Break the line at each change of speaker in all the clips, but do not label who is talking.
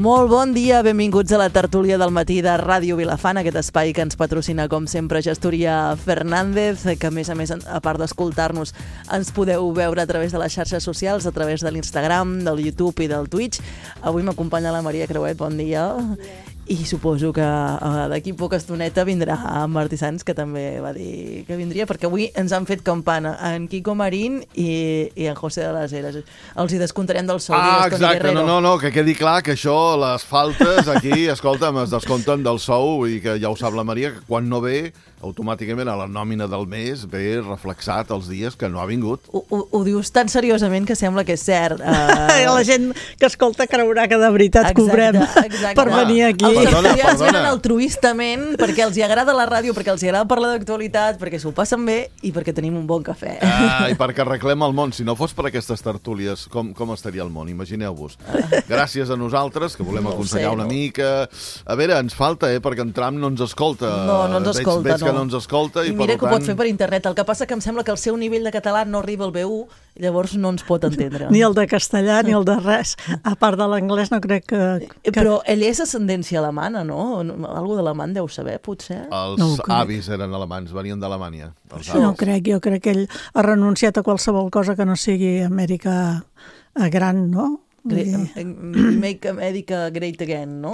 Molt bon dia, benvinguts a la tertúlia del matí de Ràdio Vilafant, aquest espai que ens patrocina, com sempre, Gestoria Fernández, que a més, a part d'escoltar-nos, ens podeu veure a través de les xarxes socials, a través de l'Instagram, del YouTube i del Twitch. Avui m'acompanya la Maria Creuet, bon dia. I suposo que d'aquí poca estoneta vindrà en Martí Sans, que també va dir que vindria, perquè avui ens han fet campana en Quico Marín i en José de las Heras. Els hi descomptarem del sou.
Exacte, no, que quedi clar que això, les faltes aquí, escolta'm, es descompten del sou i que ja ho sap la Maria, que quan no ve, automàticament a la nòmina del mes ve reflexat els dies que no ha vingut.
Ho dius tan seriosament que sembla que és cert.
La gent que escolta creurà que de veritat cobrem per venir aquí.
Els tertulians venen altruistament perquè els hi agrada la ràdio, perquè els hi agrada parlar d'actualitat, perquè s'ho passen bé i perquè tenim un bon cafè.
I perquè arreglem el món. Si no fos per aquestes tertúlies, com estaria el món? Imagineu-vos. Gràcies a nosaltres, que volem aconsellar una mica. A veure, ens falta, perquè en Trump no ens escolta.
No ens escolta,
veig que no ens escolta.
I mira que ho pot fer per internet. El que passa que em sembla que el seu nivell de català no arriba al B1, llavors no ens pot entendre.
Ni el de castellà, ni el de res. A part de l'anglès no crec que...
Però ell és ascendència alemana, no? Algú d'alemany deu saber, potser?
Els avis eren alemans, venien d'Alemanya.
No crec, jo crec que ell ha renunciat a qualsevol cosa que no sigui Amèrica gran, no?
Make America Great Again, no?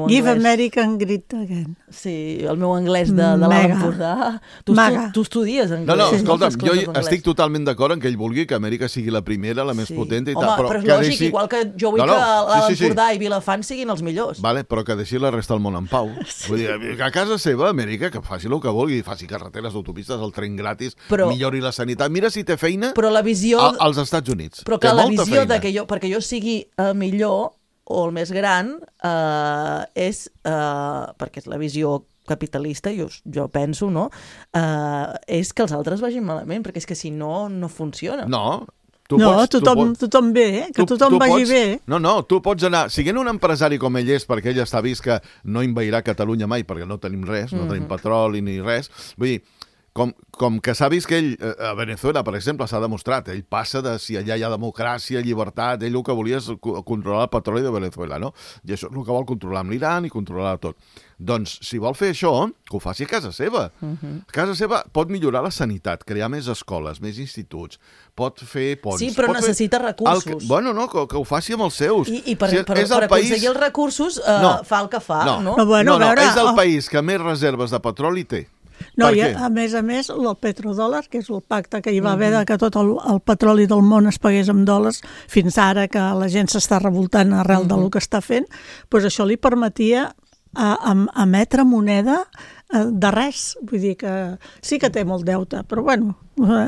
Give America Great Again.
Sí, el meu anglès de l'Alt Empordà. Tu estudies anglès.
No, escolta'm, jo estic totalment d'acord en que ell vulgui que Amèrica sigui la primera, la més potent i tal.
Home, però és lògic, igual que jo vull que l'Alt Empordà i Vilafant siguin els millors.
Vale, però que deixi la resta del món en pau. Vull dir, que a casa seva, Amèrica, que faci el que vulgui, faci carreteres, autopistes, el tren gratis, millori la sanitat. Mira si té feina als Estats Units.
Però que la visió de que perquè jo sigui millor o el més gran és perquè és la visió capitalista, jo penso, no? És que els altres vagin malament, perquè és que si no, no funciona.
No,
tothom bé, que tothom vagi bé.
No, tu pots anar, siguent un empresari com ell és, perquè ell està vist que no envairà Catalunya mai, perquè no tenim res, no tenim petroli ni res, vull dir, com que s'ha vist que ell, a Venezuela, per exemple, s'ha demostrat, ell passa de si allà hi ha democràcia, llibertat, ell el que volia és controlar el petroli de Venezuela, no? I això és el que vol controlar amb l'Iran i controlar tot. Doncs, si vol fer això, que ho faci a casa seva. A casa seva pot millorar la sanitat, crear més escoles, més instituts, pot fer ponts.
Sí, però necessita recursos.
Bueno, no, que ho faci amb els seus.
I per aconseguir els recursos fa el que fa, no?
No, és el país que més reserves de petroli té.
No, i a més, el petrodòlar, que és el pacte que hi va haver de que tot el petroli del món es pagués amb dòlars, fins ara que la gent s'està revoltant arrel del que està fent, doncs això li permetia emetre moneda de res. Vull dir que sí que té molt deute, però bueno,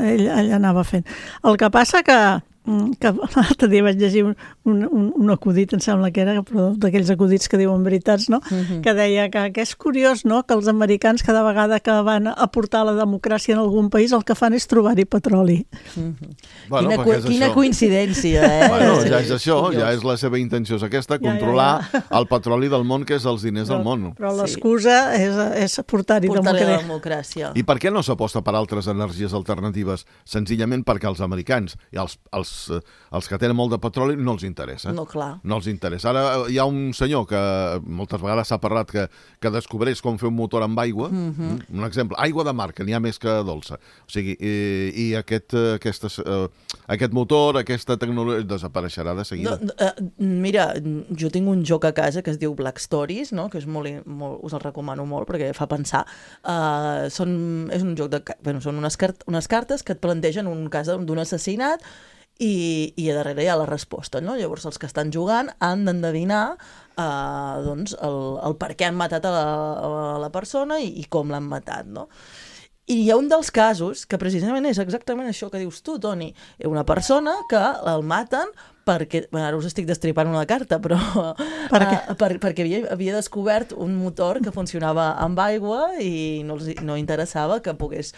ell anava fent. El que passa que l'altre dia vaig llegir un acudit, em sembla que era, però d'aquells acudits que diuen veritats, no? Que deia que és curiós, no?, que els americans cada vegada que van aportar la democràcia en algun país el que fan és trobar-hi petroli.
Quina coincidència,
Bueno, ja és això, ja és la seva intenció, és aquesta, controlar el petroli del món, que és els diners del món.
Però l'excusa és portar-hi
democràcia.
I per què no s'aposta per altres energies alternatives? Senzillament perquè els americans i els que tenen molt de petroli no els interessa.
No, clar.
No els interessa. Ara hi ha un senyor que moltes vegades s'ha parlat que descobreix com fer un motor amb aigua. Un exemple, aigua de mar, que n'hi ha més que dolça. O sigui, i aquest motor, aquesta tecnologia desapareixerà de seguida.
Mira, jo tinc un joc a casa que es diu Black Stories, no?, que és us el recomano molt perquè fa pensar. És un joc són unes cartes que et plantegen un cas d'un assassinat i a darrere hi ha la resposta, no? Llavors els que estan jugant han d'endevinar el per què han matat a la persona i com l'han matat, no? I hi ha un dels casos que precisament és exactament això que dius tu, Toni. Una persona que el maten perquè, ara us estic destripant una carta, però perquè havia descobert un motor que funcionava amb aigua i no interessava que pogués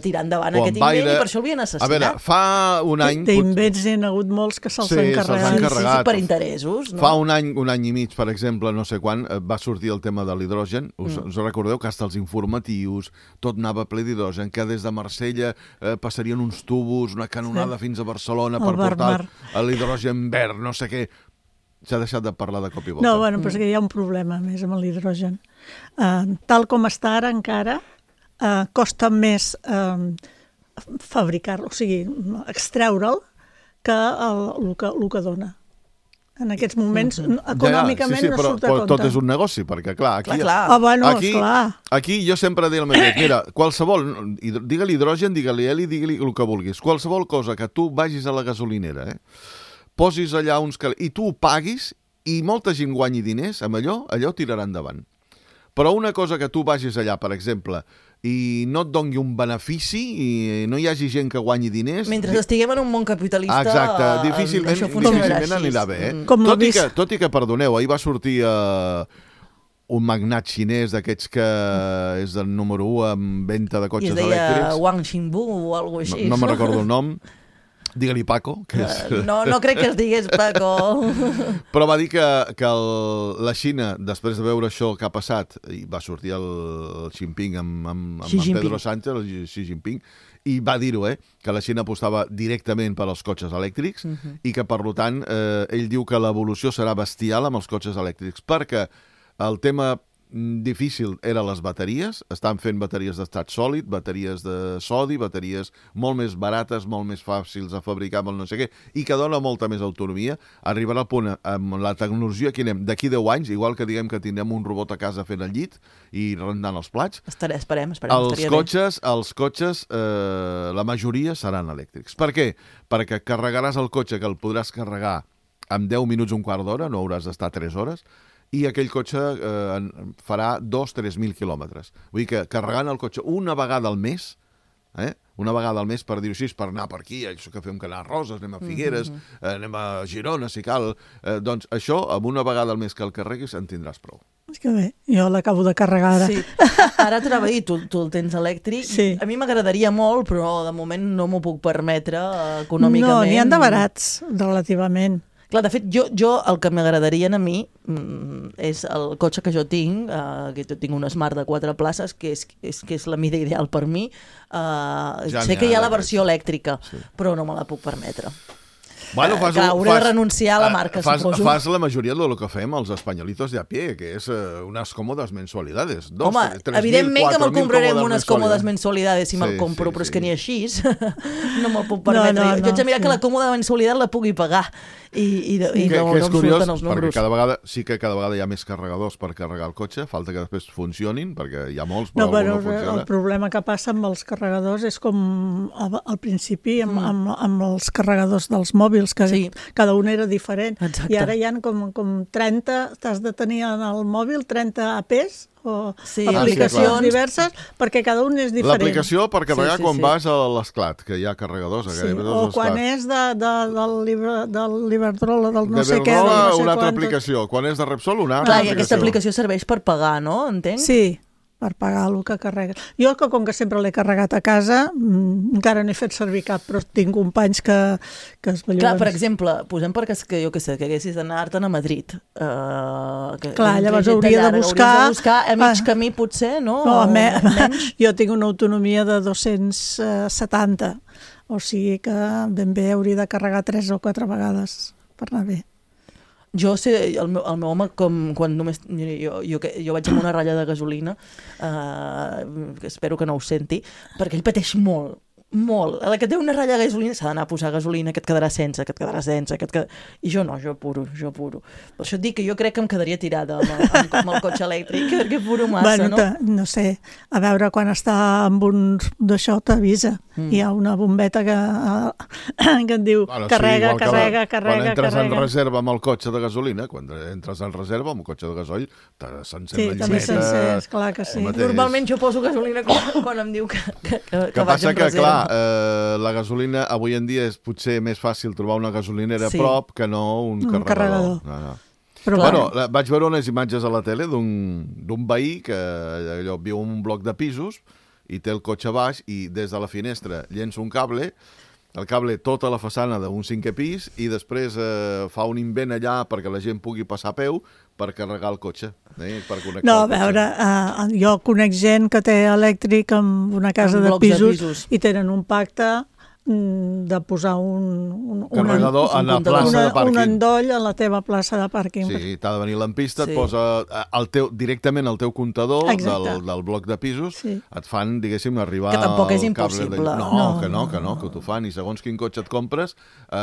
tirar endavant aquest invent i per això el havien assassinat.
A veure, fa un any...
D'invents n'hi ha hagut molts que se'ls han carregat.
Sí, per interessos.
Fa un any i mig, per exemple, no sé quan, va sortir el tema de l'hidrogen. Us recordeu que hasta els informatius tot anava ple d'hidrogen, que des de Marsella passarien uns tubos, una canonada fins a Barcelona per portar l'hidrogen verd, no sé què. s'ha deixat de parlar de cop i volta.
No, bueno, però és que hi ha un problema més amb l'hidrogen. Tal com està ara encara, costa més fabricar-lo, o sigui, extreure'l que el que dona. En aquests moments, econòmicament, no surt a compte.
Però tot és un negoci, perquè, clar, aquí...
Bueno, esclar.
Aquí jo sempre dic el mateix. Mira, qualsevol, digue-li hidrogen, digue-li heli, digue-li el que vulguis. Qualsevol cosa que tu vagis a la gasolinera, posis allà uns... i tu ho paguis, i molta gent guanyi diners, amb allò tirarà endavant. Però una cosa que tu vagis allà, per exemple, i no et doni un benefici i no hi hagi gent que guanyi diners...
Mentre estiguem en un món capitalista...
Exacte, difícilment anirà bé. Tot i que, perdoneu, ahir va sortir un magnat xinès d'aquests que és el número 1 en venda de cotxes elèctrics.
I es deia Wang Xingbu o alguna cosa així.
No me'n recordo el nom. Digue-li Paco. Que és...
No crec que es digués Paco.
Però va dir que la Xina, després de veure això que ha passat, i va sortir el Jinping amb Pedro Sánchez, el Xi Jinping, i va dir-ho, que la Xina apostava directament per als cotxes elèctrics i que, per tant, ell diu que l'evolució serà bestial amb els cotxes elèctrics, perquè el tema difícil eren les bateries, estan fent bateries d'estat sòlid, bateries de sodi, bateries molt més barates, molt més fàcils de fabricar, molt no sé què, i que dona molta més autonomia. Arribarà al punt amb la tecnologia que anem d'aquí 10 anys, igual que diguem que tindrem un robot a casa fent el llit i rentant els plats.
Esperem.
Els cotxes, la majoria seran elèctrics. Per què? Perquè carregaràs el cotxe, que el podràs carregar en 10 minuts, un quart d'hora, no hauràs d'estar 3 hores, i aquell cotxe farà 2-3.000 quilòmetres. Vull dir que carregant el cotxe una vegada al mes, una vegada al mes, per dir-ho així, per anar per aquí, això que fem que anar a Roses, anem a Figueres, anem a Girona, si cal, doncs això, amb una vegada al mes que el carreguis, en tindràs prou.
És que bé, jo l'acabo de carregar ara.
Sí. Ara t'anava a dir, tu el tens elèctric.
Sí.
A mi m'agradaria molt, però de moment no m'ho puc permetre econòmicament.
No, n'hi han de barats, relativament.
Clar, de fet, jo el que m'agradaria a mi és el cotxe que jo tinc, que jo tinc un Smart de 4 places, que és la mida ideal per mi. Sé que hi ha la versió elèctrica, però no me la puc permetre.
Bueno,
hauré de renunciar a la marca, suposo.
Fas la majoria de lo que fem els espanyolitos de a pie, que és unes còmodes mensualidades.
Home, evidentment que me'l compraré amb unes còmodes mensualidades si me'l compro, però és que ni així no me'l puc permetre. Jo haig de mirar que la còmoda mensualitat la pugui pagar i no em surten els números.
Perquè cada vegada hi ha més carregadors per carregar el cotxe, falta que després funcionin, perquè hi ha molts, però no funciona.
El problema que passa amb els carregadors és com al principi amb els carregadors dels mòbils, que cada un era diferent.
Exacte.
I ara hi ha com 30, t'has de tenir en el mòbil 30 APs o aplicacions diverses, perquè cada un és diferent.
L'aplicació per carregar quan vas a l'Esclat, que hi ha carregadors.
O quan és del Iberdrola, del no sé què.
Una altra aplicació. Quan és de Repsol, una altra aplicació.
I aquesta aplicació serveix per pagar, no? Entenc?
Sí, per pagar el que carrega. Jo, com que sempre l'he carregat a casa, encara no he fet servir cap, però tinc companys que es belluguen.
Clar, per exemple, posem perquè que jo què sé, que haguessis d'anar-te'n a Madrid.
Clar, llavors hauria de buscar
a mig camí, potser, no?
Menys. Jo tinc una autonomia de 270, o sigui que ben bé hauria de carregar 3 o 4 vegades per anar bé.
Jo sé, el meu home, quan només... Jo vaig amb una ratlla de gasolina, que espero que no ho senti, perquè ell pateix molt. A la que té una ratlla de gasolina s'ha d'anar a posar gasolina, que et quedarà sense, I jo no, jo apuro. Per això et dic que jo crec que em quedaria tirada amb el cotxe elèctric, perquè apuro massa, no?
No sé, a veure, quan està amb un d'això t'avisa. Hi ha una bombeta que et diu carrega.
Quan entres en reserva amb el cotxe de gasolina, quan entres en reserva amb el cotxe de gasoll, s'encén la llumeta.
Sí, també s'encén, clar que sí.
Normalment jo poso gasolina quan em diu que vaig en reserva.
La gasolina avui en dia és potser més fàcil trobar una gasolinera a prop que no un carregador.
Però
bueno, vaig veure unes imatges a la tele d'un veí que viu en un bloc de pisos i té el cotxe baix i des de la finestra llença un cable, el cable tota la façana d'un 5è pis i després fa un invent allà perquè la gent pugui passar a peu per carregar el cotxe. Per connectar
a veure, jo conec gent que té elèctric en una casa de pisos i tenen un pacte de posar un
carregador a la plaça de pàrquing.
Un endoll a la teva plaça de pàrquing.
Sí, t'ha de venir l'ampista, et posa directament al teu comptador del bloc de pisos, et fan, diguéssim, arribar...
Que tampoc és impossible.
No, que t'ho fan, i segons quin cotxe et compres,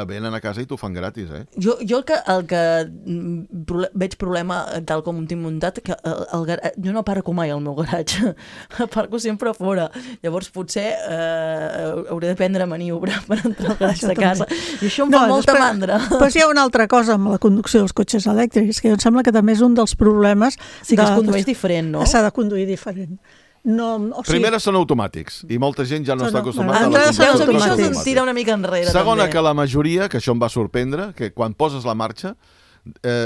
venen a casa i t'ho fan gratis, eh?
Jo el que veig problema, tal com ho tinc muntat, que jo no aparco mai al meu garatge, aparco sempre a fora. Llavors potser hauré de prendre maniobra per entrar al garatge de casa. I això em fa molta mandra.
Però hi ha una altra cosa amb la conducció dels cotxes elèctrics, que em sembla que també és un dels problemes...
Sí, que es condueix diferent, no?
S'ha de conduir diferent.
Primera, són automàtics, i molta gent ja no està acostumada a la
conducció automàtica. Això
automàtica.
tira una mica enrere.
Segona, que la majoria, que això em va sorprendre, que quan poses la marxa,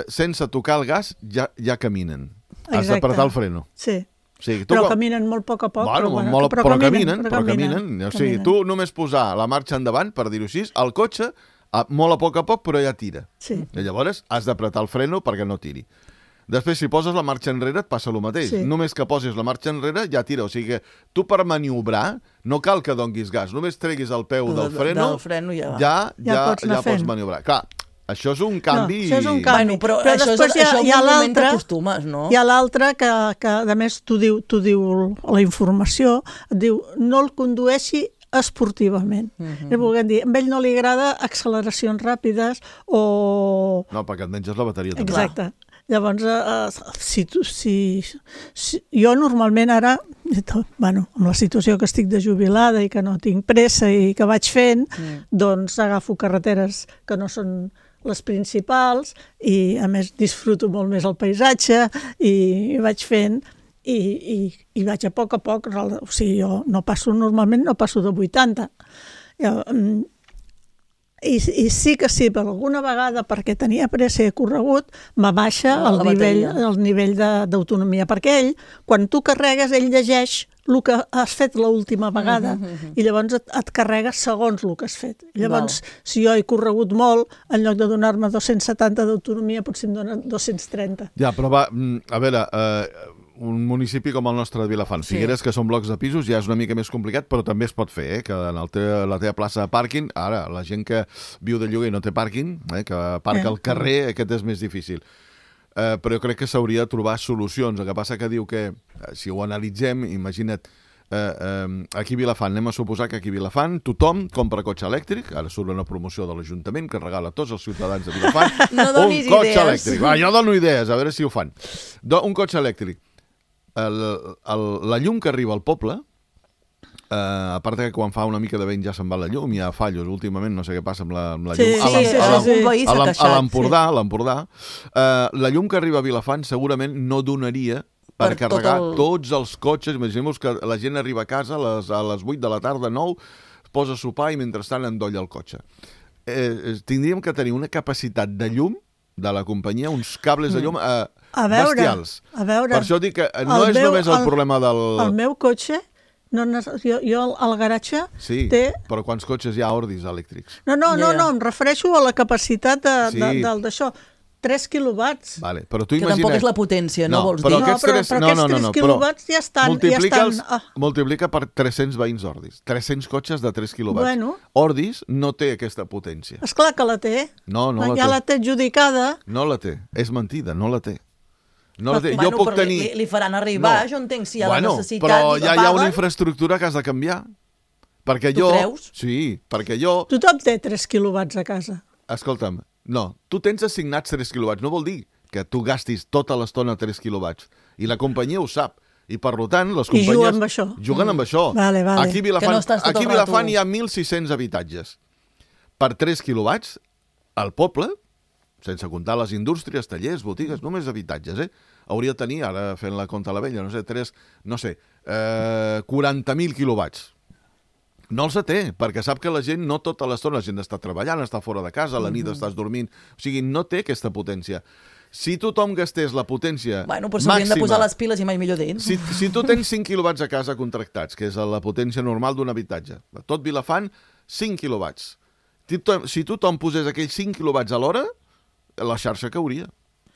sense tocar el gas, ja caminen. Has d'apretar el freno.
Sí. Però caminen molt a poc a poc.
Però caminen. O sigui, tu només posar la marxa endavant, per dir-ho així, el cotxe, molt a poc, però ja tira.
Sí.
I llavors has d'apretar el freno perquè no tiri. Després, si poses la marxa enrere, et passa el mateix.
Sí.
Només que posis la marxa enrere, ja tira. O sigui que tu per maniobrar no cal que donguis gas. Només treguis el peu del freno, ja pots maniobrar. Clar, això és un canvi...
No, això és un canvi.
Bueno, però després hi ha l'altre, no?
Hi ha l'altre que a més t'ho diu la informació, et diu no el condueixi esportivament. Volguem dir, a ell no li agrada acceleracions ràpides o...
No, perquè et menges la bateria també.
Exacte. Llavors, jo normalment ara, amb la situació que estic de jubilada i que no tinc pressa i que vaig fent, doncs agafo carreteres que no són les principals i a més disfruto molt més el paisatge i vaig fent i vaig a poc, o sigui, jo normalment no passo de 80. I sí que sí, per alguna vegada, perquè tenia pressa i he corregut, m'abaixa el nivell d'autonomia, perquè ell, quan tu carregues, ell llegeix el que has fet l'última vegada i llavors et carrega segons el que has fet. Llavors, si jo he corregut molt, en lloc de donar-me 270 d'autonomia, potser em donen 230.
Ja, però va, a veure... un municipi com el nostre de Vilafant. Figueres, que són blocs de pisos, ja és una mica més complicat, però també es pot fer, que en la teva plaça de pàrquing, ara, la gent que viu de lloguer i no té pàrquing, que aparca al carrer, aquest és més difícil. Però jo crec que s'hauria de trobar solucions. El que passa que diu que, si ho analitzem, imagina't, aquí a Vilafant, anem a suposar que aquí a Vilafant tothom compra cotxe elèctric, ara surt una promoció de l'Ajuntament que regala a tots els ciutadans de Vilafant un cotxe elèctric. Jo dono idees, a veure si ho fan. Un cotxe elèctric. La llum que arriba al poble, a part que quan fa una mica de vent ja se'n va la llum, hi ha fallos últimament, no sé què passa amb la llum. A l'Empordà, la llum que arriba a Vilafant segurament no donaria per carregar tots els cotxes. Imaginem-vos que la gent arriba a casa a les 8 de la tarda, 9, posa a sopar i mentrestant endolla el cotxe. Tindríem que tenir una capacitat de llum de la companyia, uns cables de llum bestials.
Per
això dic que no és només el problema del...
El meu cotxe, jo al garatge té...
Però quants cotxes hi ha Ordis elèctrics?
No, em refereixo a la capacitat d'això. 3 quilowatts.
Vale, però tu
que tampoc és la potència, no vols dir?
Però aquests 3 quilowatts ja estan...
Multiplica per 300 veïns Ordis. 300 cotxes de 3 quilowatts.
Bueno.
Ordis no té aquesta potència.
Esclar que la té.
No la té.
Ja la té adjudicada.
No la té. És mentida, no la té. Jo puc tenir...
Li faran arribar, jo entenc si hi ha la necessitat.
Però ja hi ha una infraestructura que has de canviar. Perquè
tu creus?
Sí, perquè jo...
Tothom té 3 quilowatts a casa.
Escolta'm, no, tu tens assignats 3 quilowatts, no vol dir que tu gastis tota l'estona 3 quilowatts. I la companyia ho sap. I per tant, les companyies...
I juguen amb això.
Juguen amb això.
Vale.
Aquí a Vilafant hi ha 1.600 habitatges. Per 3 quilowatts, al poble, sense comptar les indústries, tallers, botigues, només habitatges, hauria de tenir, ara fent la compta a la vella, 40.000 quilowatts. No els té, perquè sap que la gent no tota l'estona, la gent està treballant, està fora de casa, a la nit estàs dormint, o sigui, no té aquesta potència. Si tothom gastés la potència
màxima... Però s'haurien de posar les piles i mai millor dins.
Si tu tens 5 quilowatts a casa contractats, que és la potència normal d'un habitatge, tot Vilafant, 5 quilowatts. Si tothom posés aquells 5 quilowatts a l'hora, la xarxa cauria.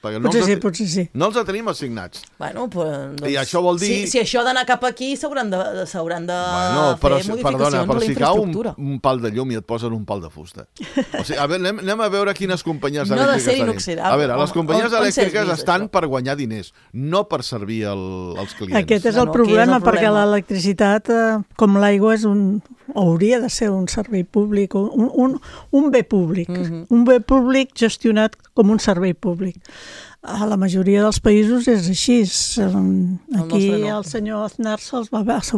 Potser sí.
No els tenim assignats.
Bueno, doncs,
I això vol dir...
Si això ha d'anar cap aquí, s'hauran de fer modificacions
perdona,
a
però
la
si cau
infraestructura.
un pal de llum i et posen un pal de fusta. O sigui, a veure, anem a veure quines companyies
No ha de
elèctriques
ser
tenim.
inoxidable.
A veure, les companyies
On s'ha
elèctriques
vist,
estan
això?
per guanyar diners, no per servir als clients.
Aquest és el
Bueno, aquí és
problema,
el
perquè
problema.
l'electricitat, com l'aigua, hauria de ser un servei públic, un bé públic, un bé públic gestionat com un servei públic. A la majoria dels països és així. Aquí
nostre no.
el senyor Aznar s'ho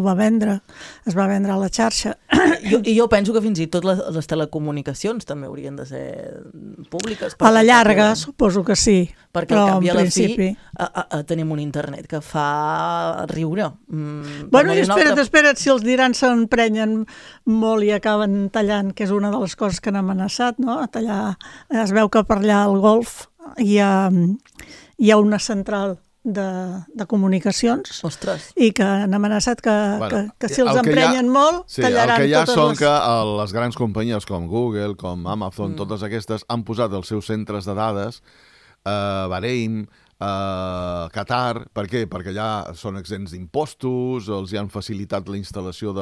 va vendre, es va vendre a la xarxa.
I jo penso que fins i tot les telecomunicacions també haurien de ser públiques.
A la llarga, suposo que sí,
perquè
però
al cap i
en
a la
principi...
fi tenim un internet que fa riure.
Bueno, i espera't, si els dirans s'emprenyen molt i acaben tallant, que és una de les coses que han amenaçat, no? A tallar, es veu que per allà al Golf hi ha una central de comunicacions.
Ostres.
I que han amenaçat que si els emprenyen molt, tallaran
totes les... El que hi ha són
les...
que les grans companyies com Google, com Amazon, totes aquestes han posat els seus centres de dades a Bahrein, a Qatar. Per què? Perquè allà són exempts d'impostos, els hi han facilitat la instal·lació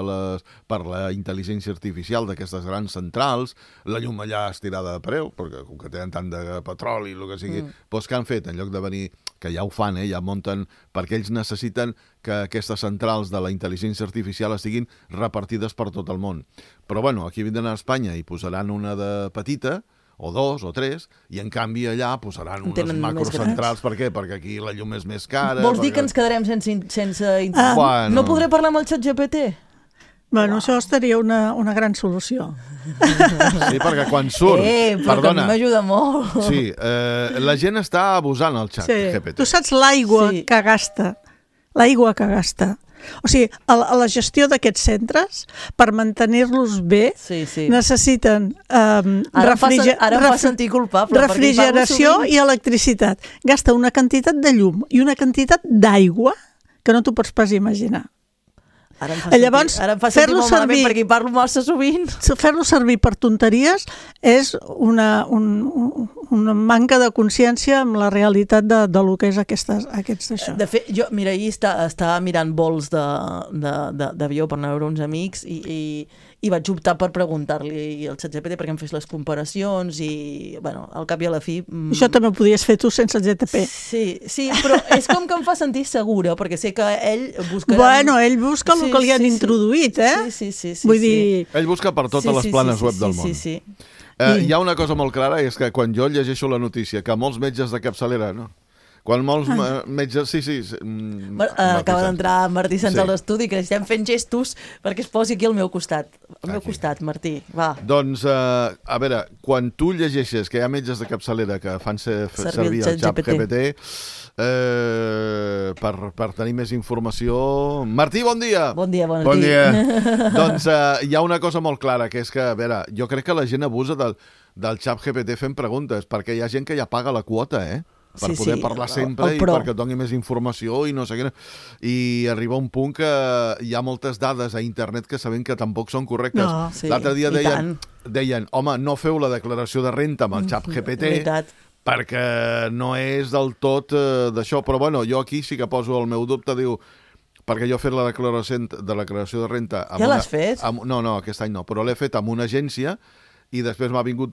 per la intel·ligència artificial d'aquestes grans centrals, la llum allà estirada de preu, perquè com que tenen tant de petroli, el que sigui, doncs què han fet? En lloc de venir, que ja ho fan, ja munten, perquè ells necessiten que aquestes centrals de la intel·ligència artificial estiguin repartides per tot el món. Però bueno, aquí vindran a Espanya i posaran una de petita, o dos, o tres, i en canvi allà posaran unes macrocentrals. Per què? Perquè aquí la llum és més cara.
Vols dir que ens quedarem sense...
Bueno.
No podré parlar amb el ChatGPT?
Bueno, això estaria una gran solució.
Sí, perquè quan surt...
Però que a mi m'ajuda molt.
Sí, la gent està abusant al ChatGPT.
Tu saps l'aigua que gasta? L'aigua que gasta. O sigui, a la gestió d'aquests centres, per mantenir-los bé, necessiten
ara em fa sentir culpable,
refrigeració i electricitat. Gasta una quantitat de llum i una quantitat d'aigua que no t'ho pots pas imaginar.
Ara em fa sentir molt malament perquè hi parlo massa sovint.
Fer-lo servir per tonteries és una manca de consciència amb la realitat de lo que és aquests d'això.
De fet, jo, mira, ahir estava mirant vols d'avió per anar a veure uns amics i vaig optar per preguntar-li al ChatGPT perquè em fes les comparacions i, bueno, al cap i a la fi...
Això també ho podies fer tu sense el GTP.
Sí, però és com que em fa sentir segura, perquè sé que ell buscarà...
Bueno, ell busca el que li han introduït, eh?
Sí.
Vull dir...
Ell busca per totes les planes web del món.
Sí.
Hi ha una cosa molt clara, és que quan jo llegeixo la notícia que molts metges de capçalera, no? Quan molts metges... Sí.
Acaba d'entrar Martí Sanz a l'estudi, que estem fent gestos perquè es posi aquí al meu costat. Al meu costat, Martí, va.
Doncs, a veure, quan tu llegeixes que hi ha metges de capçalera que fan servir el ChatGPT per tenir més informació... Martí, bon dia!
Bon dia.
Doncs hi ha una cosa molt clara, que és que, a veure, jo crec que la gent abusa del ChatGPT fent preguntes, perquè hi ha gent que ja paga la quota, per poder parlar sempre i perquè doni més informació i no sé què. I arriba un punt que hi ha moltes dades a internet que sabem que tampoc són correctes. L'altre dia deien, home, no feu la declaració de renta amb el ChatGPT perquè no és del tot d'això. Però bueno, jo aquí sí que poso el meu dubte, diu, perquè jo he fet la declaració de renta...
Ja l'has fet?
No, aquest any no, però l'he fet amb una agència i després m'ha vingut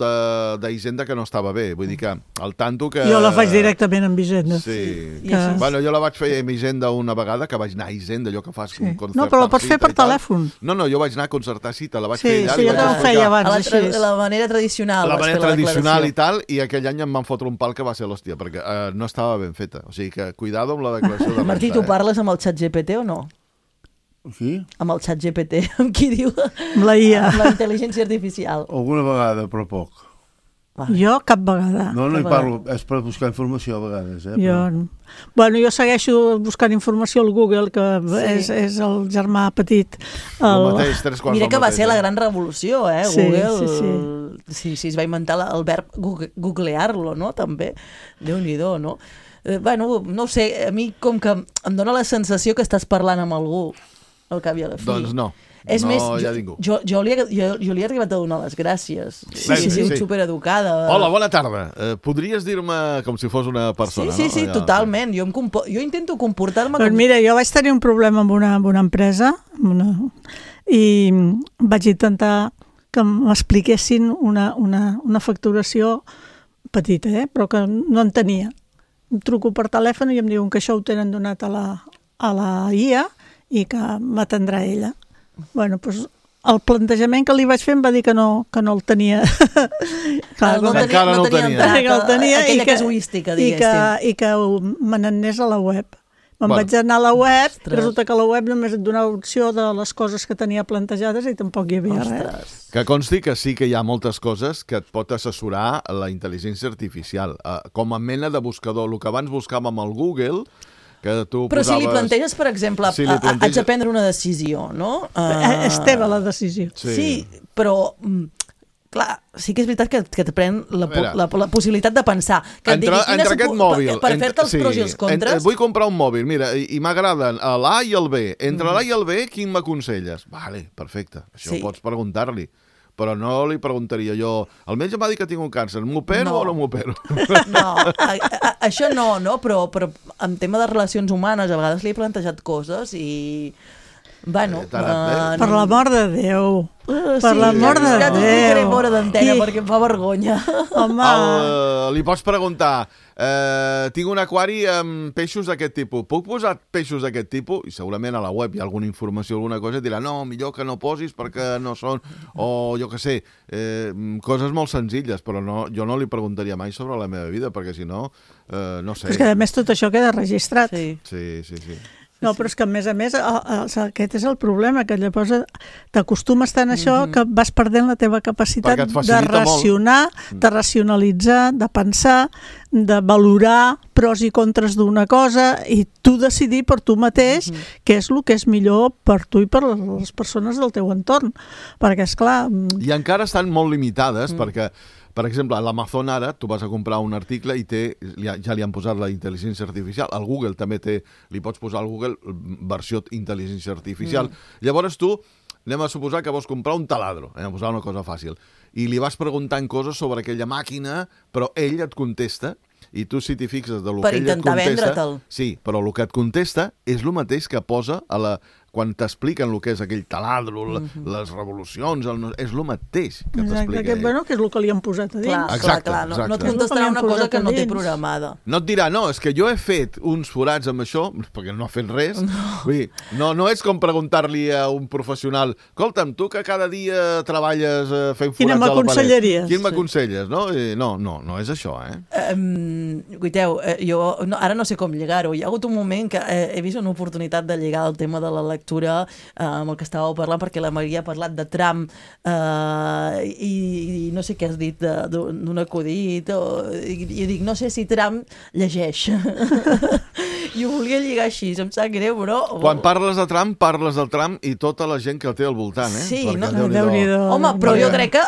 d'Hisenda que no estava bé. Vull dir que al tanto que...
Jo la faig directament amb Hisenda.
Sí. Bueno, jo la vaig fer amb Hisenda una vegada, que vaig anar a Hisenda, allò que fas un concertar cita.
No, però la pots fer per telèfon.
No, jo vaig anar a concertar cita, la vaig fer allà.
Sí, jo ho feia abans, així.
La manera tradicional.
La manera tradicional i tal, i aquell any em van fotre un pal que va ser l'hòstia, perquè no estava ben feta. O sigui que, cuidado amb la declaració de renta.
Martí, tu parles amb el ChatGPT o no?
Sí?
Amb el ChatGPT, amb qui diu?
Amb la IA.
Amb la intel·ligència artificial.
Alguna vegada, però poc.
Jo cap vegada.
No hi parlo, és per buscar informació a vegades.
Jo segueixo buscant informació al Google, que és el germà petit.
Mira que va ser la gran revolució, Google.
Sí.
Es va inventar el verb googlear-lo, no? També. Déu-n'hi-do, no? Bueno, no sé, a mi com que em dóna la sensació que estàs parlant amb algú al cap i a la fi.
Doncs no.
És
no
més,
hi ha ningú.
jo li he arribat a donar les gràcies. Sí, he sigut supereducada.
Hola, bona tarda. Podries dir-me com si fos una persona,
sí,
no?
Sí, totalment. Jo intento comportar-me com...
Mira, jo vaig tenir un problema amb una empresa i vaig intentar que m'expliquessin una facturació petita, però que no en tenia. Em truco per telèfon i em diuen que això ho tenen donat a la IA i que m'atendrà ella. Bueno, doncs el plantejament que li vaig fer em va dir que no el tenia.
Encara no el tenia.
Aquella casuística, diguéssim.
I que me n'anés a la web. Vaig anar a la web, resulta que a la web només et donava opció de les coses que tenia plantejades i tampoc hi havia res.
Que consti que sí que hi ha moltes coses que et pot assessorar la intel·ligència artificial. Com a mena de buscador, el que abans buscàvem amb el Google, que tu
però
posaves...
si li planteges, per exemple, haig de prendre una decisió, no?
És teva la decisió.
Sí, però... Clar, sí que és veritat que et pren la possibilitat de pensar. Que et digui,
entre aquest mòbil...
Per fer-te els pros i els contres...
Vull comprar un mòbil, mira, i m'agraden l'A i el B. Entre l'A i el B, quin m'aconselles? Vale, perfecte, això ho pots preguntar-li. Però no li preguntaria jo, el metge m'ha dit que tinc un càncer, m'opero o no m'opero?
No, això no, però en tema de relacions humanes a vegades li he plantejat coses i... Bueno,
per l'amor de Déu. Per l'amor de Déu.
Ja no ficaré fora d'antena perquè em fa vergonya.
Home...
Li pots preguntar, tinc un aquari amb peixos d'aquest tipus, puc posar peixos d'aquest tipus? I segurament a la web hi ha alguna informació, alguna cosa, i dirà, no, millor que no posis perquè no són... O jo què sé, coses molt senzilles, però jo no li preguntaria mai sobre la meva vida, perquè si no, no sé.
És que a més tot això queda registrat.
Sí.
No, però és que a més, aquest és el problema, que llavors t'acostumes tant a això que vas perdent la teva capacitat de racionar, de racionalitzar, de pensar, de valorar pros i contres d'una cosa i tu decidir per tu mateix què és el que és millor per tu i per les persones del teu entorn. Perquè, esclar...
I encara estan molt limitades perquè... Per exemple, a l'Amazon ara, tu vas a comprar un article i ja li han posat la intel·ligència artificial. Al Google també li pots posar al Google versió intel·ligència artificial. Llavors tu, anem a suposar que vols comprar un taladro, a posar una cosa fàcil, i li vas preguntant coses sobre aquella màquina, però ell et contesta, i tu si t'hi fixes de lo que ell et contesta... Per intentar vendre'l. Sí, però el que et contesta és el mateix que posa quan t'expliquen el que és aquell taladro, les revolucions, és el mateix que t'explica ell.
Bueno, que és el que li han posat a dins.
Exacte.
No et contestarà una cosa que no té programada.
No et dirà, no, és que jo he fet uns forats amb això, perquè no ha fet res. Vull dir, no és com preguntar-li a un professional, escolta'm, tu que cada dia treballes fent forats a la paret, quin m'aconselles? No és això,
Guiteu, jo ara no sé com lligar-ho. Hi ha hagut un moment que he vist una oportunitat de lligar el tema de la lectura amb el que estàveu parlant, perquè la Maria ha parlat de Trump i no sé què has dit d'un acudit i dic, no sé si Trump llegeix i ho volia lligar així, em sap greu, però...
Quan parles de Trump, parles del Trump i tota la gent que el té al voltant,
Sí, home, però jo crec que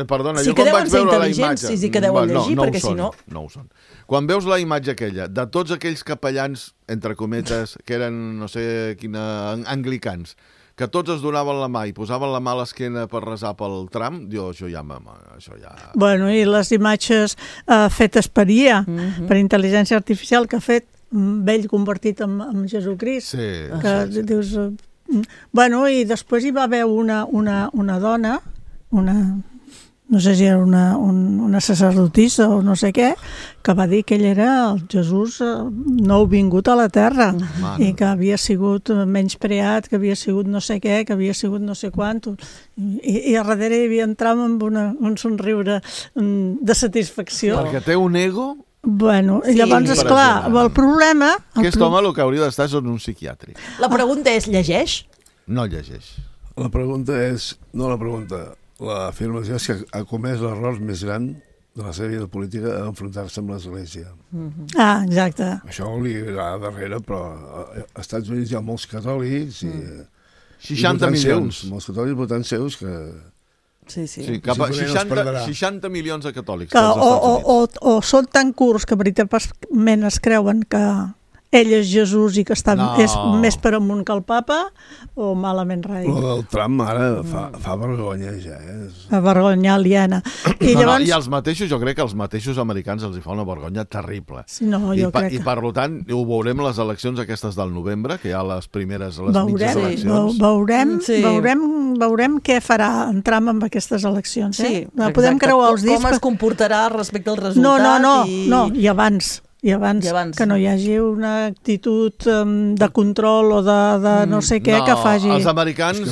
perdona,
sí que deuen ser intel·ligents, sí que deuen llegir, perquè si no...
No ho són. Quan veus la imatge aquella de tots aquells capellans, entre cometes, que eren, no sé quina, anglicans, que tots es donaven la mà i posaven la mà a l'esquena per resar pel Trump, això ja...
Bueno, i les imatges fetes per IA, per intel·ligència artificial, que ha fet vell convertit en Jesucrist. Que dius... Bueno, i després hi va haver una dona, no sé si era una sacerdotissa o no sé què, que va dir que ell era el Jesús nou vingut a la Terra i que havia sigut menyspreat, que havia sigut no sé què, que havia sigut no sé quant, i a darrere hi havia entrat amb un somriure de satisfacció.
Perquè té un ego...
Bueno, i llavors, esclar, el problema...
Aquest home el que hauria d'estar és en un psiquiàtric.
La pregunta és, llegeix?
No llegeix.
La pregunta és... No la pregunta... L'afirmació és que ha comès l'error més gran de la seva vida política a enfrontar-se amb l'Església.
Exacte.
Això li agrada darrere, però als Estats Units hi ha molts catòlics i
60 milions.
Molts catòlics votants seus que...
Sí,
cap a 60 milions de catòlics.
O són tan curts que veritablement es creuen que ell és Jesús i que és més per amunt que el papa, o malament rai?
El Trump ara fa vergonya ja.
Vergonya aliena. I llavors...
I els mateixos, jo crec que als mateixos americans els hi fa una vergonya terrible.
Sí, no, jo crec que...
I per tant, ho veurem les eleccions aquestes del novembre, que hi ha les primeres, mitges eleccions.
Veurem què farà en Trump amb aquestes eleccions.
Sí,
podem creuar els dits.
Com es comportarà respecte al resultat.
No, i abans, que no hi hagi una actitud de control o de no sé què que faci...
Els americans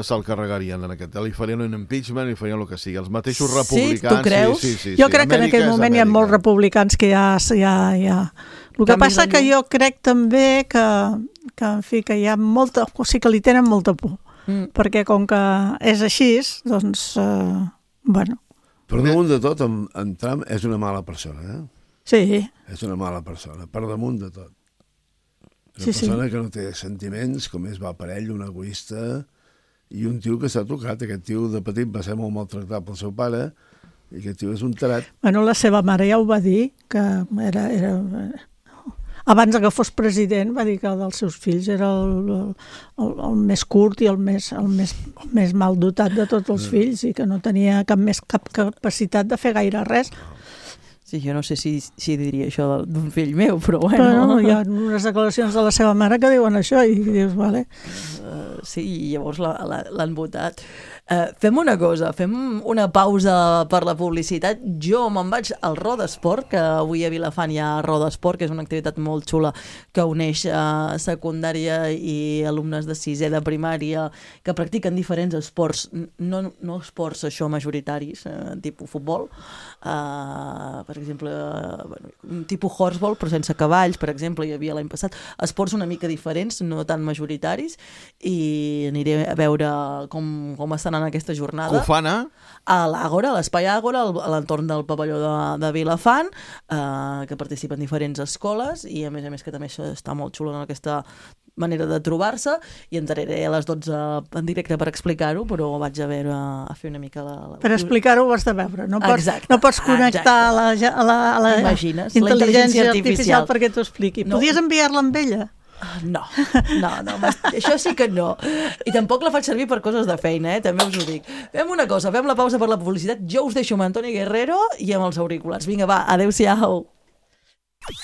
se'l carregarien en aquest. Li farien un impeachment, li farien el que sigui. Els mateixos republicans...
Sí, tu creus?
Sí.
Jo crec que en aquell moment hi ha molts republicans que ja... El que passa que jo crec també que en fi, que hi ha molta... O sigui, que li tenen molta por. Perquè com que és així, doncs, bueno...
Per damunt de tot, en Trump és una mala persona,
Sí.
És una mala persona, per damunt de tot. Una persona que no té sentiments, com va per ell, un egoista, i un tio que s'ha tocat. Aquest tio de petit va ser molt maltractat pel seu pare, i aquest tio és un tarat.
Bueno, la seva mare ja ho va dir, que era abans que fos president, va dir que el dels seus fills era el més curt i el més mal dotat de tots els fills i que no tenia cap capacitat de fer gaire res.
Sí, jo no sé si diria això d'un fill meu, però bueno...
Però hi ha unes declaracions de la seva mare que diuen això i dius, vale.
Sí, i llavors l'han votat. Fem una cosa, fem una pausa per la publicitat. Jo me'n vaig al Rodesport, que avui a Vilafant hi ha Rodesport, que és una activitat molt xula que uneix secundària i alumnes de sisè de primària que practiquen diferents esports, no esports això majoritaris, tipus futbol, per exemple, un tipus horseball, però sense cavalls, per exemple, hi havia l'any passat, esports una mica diferents, no tan majoritaris, i aniré a veure com estan en aquesta jornada.
Que ho fan
a l'Àgora, a l'Espai Àgora, a l'entorn del pavelló de Vilafant, que participen diferents escoles i a més que també està molt xulo en aquesta manera de trobar-se, i entraré a les 12 en directe per explicar-ho, però vaig a fer una mica
Per explicar-ho ho has de veure, no pots connectar a la intel·ligència artificial perquè t'ho expliqui. Podies enviar-la amb ella?
No, això sí que no. I tampoc la faig servir per coses de feina, també us ho dic. Fem una cosa, fem la pausa per la publicitat, jo us deixo amb Antoni Guerrero i amb els auriculars. Vinga, va, adeu-siau.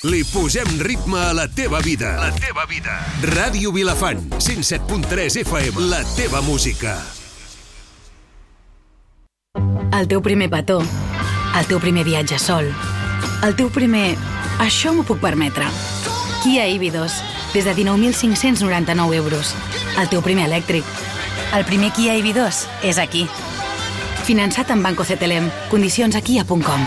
Li posem ritme a la teva vida. La teva vida. Ràdio Vilafant, 107.3 FM, la teva música.
El teu primer petó, el teu primer viatge sol, el teu primer... Això m'ho puc permetre. Kia EV2, des de 19.599 euros. El teu primer elèctric. El primer Kia EV2 és aquí. Finançat amb Banco CTLM. Condicions a kia.com.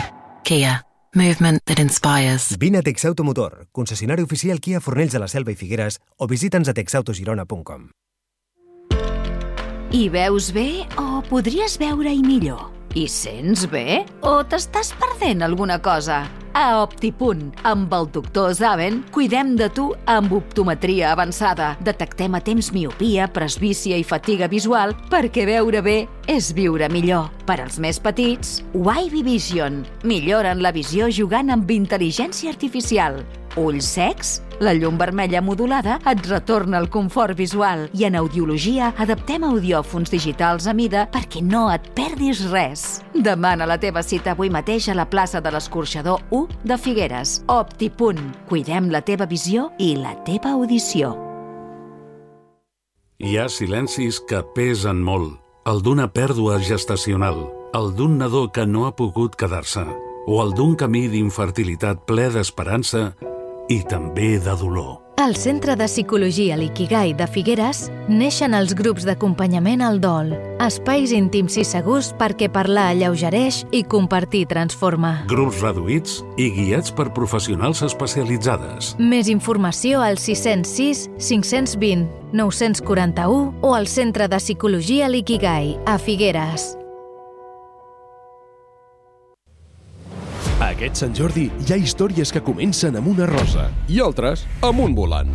Kia. Movement that inspires.
Vine a Texauto Motor, concessionari oficial Kia Fornells de la Selva i Figueres, o visita'ns a texautogirona.com.
Hi veus bé o podries veure-hi millor? Hi sents bé o t'estàs perdent alguna cosa? A Optipunt, amb el doctor Zaven, cuidem de tu amb optometria avançada. Detectem a temps miopia, presbícia i fatiga visual perquè veure bé és viure millor. Per als més petits, Wavy Vision. Milloren la visió jugant amb intel·ligència artificial. Ulls secs? La llum vermella modulada et retorna el confort visual i en audiologia adaptem audiòfons digitals a mida perquè no et perdis res. Demana la teva cita avui mateix a la plaça de l'Escorxador 1 de Figueres. Optipunt. Cuidem la teva visió i la teva audició.
Hi ha silencis que pesen molt. El d'una pèrdua gestacional, el d'un nadó que no ha pogut quedar-se, o el d'un camí d'infertilitat ple d'esperança i també de dolor.
Al Centre de Psicologia Likigai de Figueres neixen els grups d'acompanyament al dol, espais íntims i segurs perquè parlar alleugereix i compartir transforma.
Grups reduïts i guiats per professionals especialitzades.
Més informació al 606 520 941 o al Centre de Psicologia Likigai a Figueres.
Aquest Sant Jordi hi ha històries que comencen amb una rosa i altres amb un volant.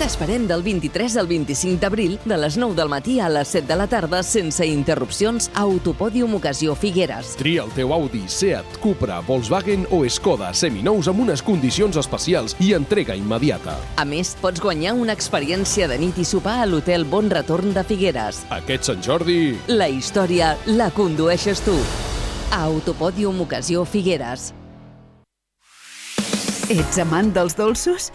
T'esperem del 23 al 25 d'abril, de les 9 del matí a les 7 de la tarda, sense interrupcions, a Autopòdium Ocasió Figueres.
Tria el teu Audi, Seat, Cupra, Volkswagen o Skoda seminous amb unes condicions especials i entrega immediata.
A més, pots guanyar una experiència de nit i sopar a l'Hotel Bon Retorn de Figueres.
Aquest Sant Jordi...
La història la condueixes tu. A Autopòdium Ocasió Figueres.
Ets amant dels dolços?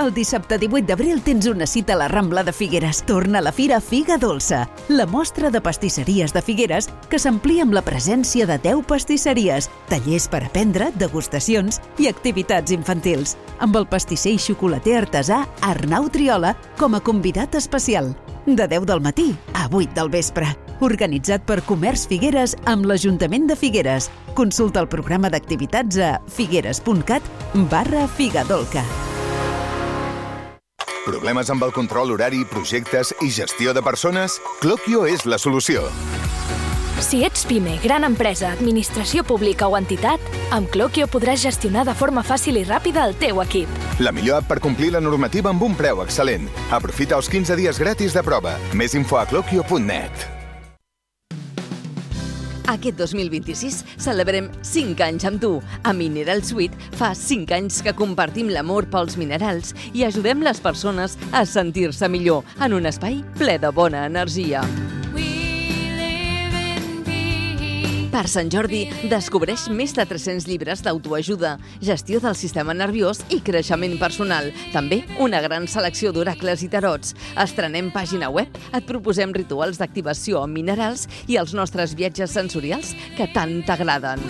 El dissabte 18 d'abril tens una cita a la Rambla de Figueres. Torna a la Fira Figa Dolça, la mostra de pastisseries de Figueres que s'amplia amb la presència de 10 pastisseries, tallers per aprendre, degustacions i activitats infantils, amb el pastisser i xocolater artesà Arnau Triola com a convidat especial. De 10 del matí a 8 del vespre. Organitzat per Comerç Figueres amb l'Ajuntament de Figueres. Consulta el programa d'activitats a figueres.cat/Figadolca.
Problemes amb el control horari, projectes i gestió de persones? Cloquio és la solució.
Si ets PIME, gran empresa, administració pública o entitat, amb Cloquio podràs gestionar de forma fàcil i ràpida el teu equip.
La millor app per complir la normativa amb un preu excel·lent. Aprofita els 15 dies gratis de prova. Més info a cloquio.net.
Aquest 2026 celebrem 5 anys amb tu. A Mineral Suite fa 5 anys que compartim l'amor pels minerals i ajudem les persones a sentir-se millor en un espai ple de bona energia. Per Sant Jordi, descobreix més de 300 llibres d'autoajuda, gestió del sistema nerviós i creixement personal. També una gran selecció d'oracles i tarots. Estrenem pàgina web, et proposem rituals d'activació amb minerals i els nostres viatges sensorials que tant t'agraden.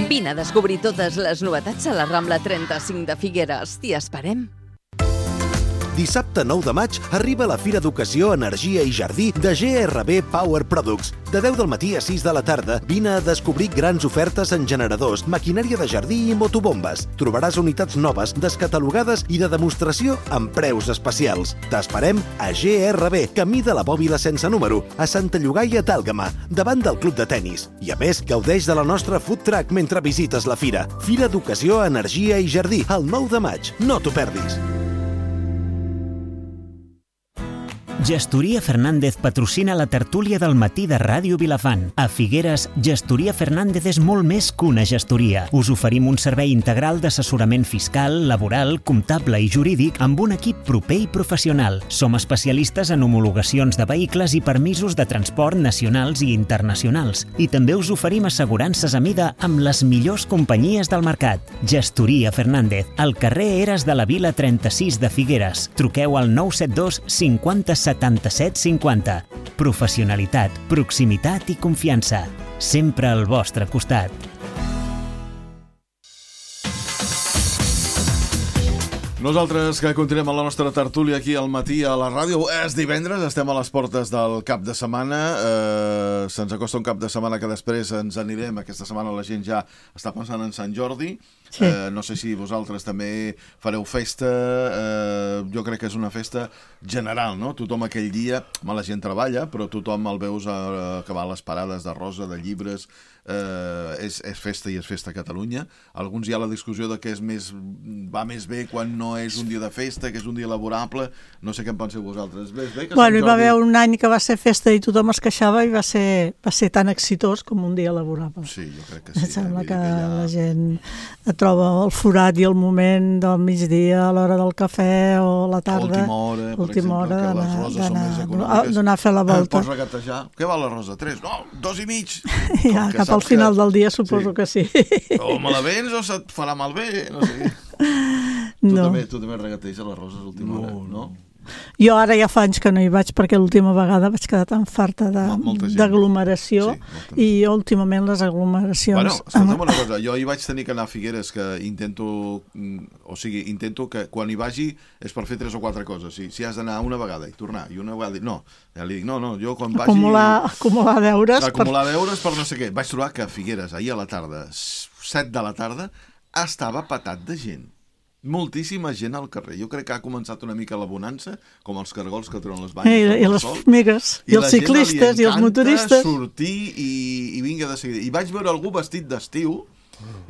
Vine a descobrir totes les novetats a la Rambla 35 de Figueres. T'hi esperem.
Dissabte 9 de maig arriba la Fira d'Ocasió, Energia i Jardí de GRB Power Products. De 10 del matí a 6 de la tarda, vine a descobrir grans ofertes en generadors, maquinària de jardí i motobombes. Trobaràs unitats noves, descatalogades i de demostració amb preus especials. T'esperem a GRB, camí de la Bòbila sense número, a Santa Llogaia d'Àlgama, davant del club de tennis. I a més, gaudeix de la nostra food truck mentre visites la fira. Fira d'Ocasió, Energia i Jardí, el 9 de maig. No t'ho perdis.
Gestoria Fernández patrocina la tertúlia del matí de Ràdio Vilafant. A Figueres, Gestoria Fernández és molt més que una gestoria. Us oferim un servei integral d'assessorament fiscal, laboral, comptable i jurídic amb un equip proper i professional. Som especialistes en homologacions de vehicles i permisos de transport nacionals i internacionals. I també us oferim assegurances a mida amb les millors companyies del mercat. Gestoria Fernández, al carrer Eres de la Vila 36 de Figueres. Truqueu al 972 50 77 50. Professionalitat, proximitat i confiança. Sempre al vostre costat.
Nosaltres que continuem a la nostra tertúlia aquí al matí a la ràdio. És divendres, estem a les portes del cap de setmana. Se'ns acosta un cap de setmana que després ens anirem. Aquesta setmana la gent ja està pensant en Sant Jordi. Sí. No sé si vosaltres també fareu festa. Jo crec que és una festa general, no? Tothom aquell dia, la gent treballa, però tothom el veus que va a les parades de rosa, de llibres. És festa i és festa a Catalunya. Alguns hi ha la discussió de que va més bé quan no és un dia de festa, que és un dia laborable. No sé què en penseu vosaltres.
Bueno, hi va haver un any que va ser festa i tothom es queixava i va ser tan exitós com un dia laborable.
Sí, jo crec que sí.
Em sembla que la gent troba el forat i el moment del migdia, a l'hora del cafè o a la tarda.
Última hora, que les roses són més econòmiques.
D'anar a fer la volta.
Pots regatejar. Què val la rosa? 3? No, 2,5.
Ja, cap al final del dia suposo que sí.
O me la vens o se't farà malbé, no sé què. Tu també regateges les roses a l'última hora, no?
Jo ara ja fa anys que no hi vaig perquè l'última vegada vaig quedar tan farta d'aglomeració i últimament les aglomeracions...
Bueno, escolta'm una cosa, jo hi vaig tenir que anar a Figueres que intento que quan hi vagi és per fer 3 o 4 coses. Si has d'anar una vegada i tornar i una vegada... No, ja li dic, no, jo quan vagi...
Acumular deures.
Acumular deures per no sé què. Vaig trobar que a Figueres ahir a la tarda, 7 de la tarda, estava patat de gent. Moltíssima gent al carrer. Jo crec que ha començat una mica la bonança, com els cargols que treuen les banyes.
I les formigues, i els ciclistes, i els motoristes.
Sortir i vinga de seguida. I vaig veure algú vestit d'estiu,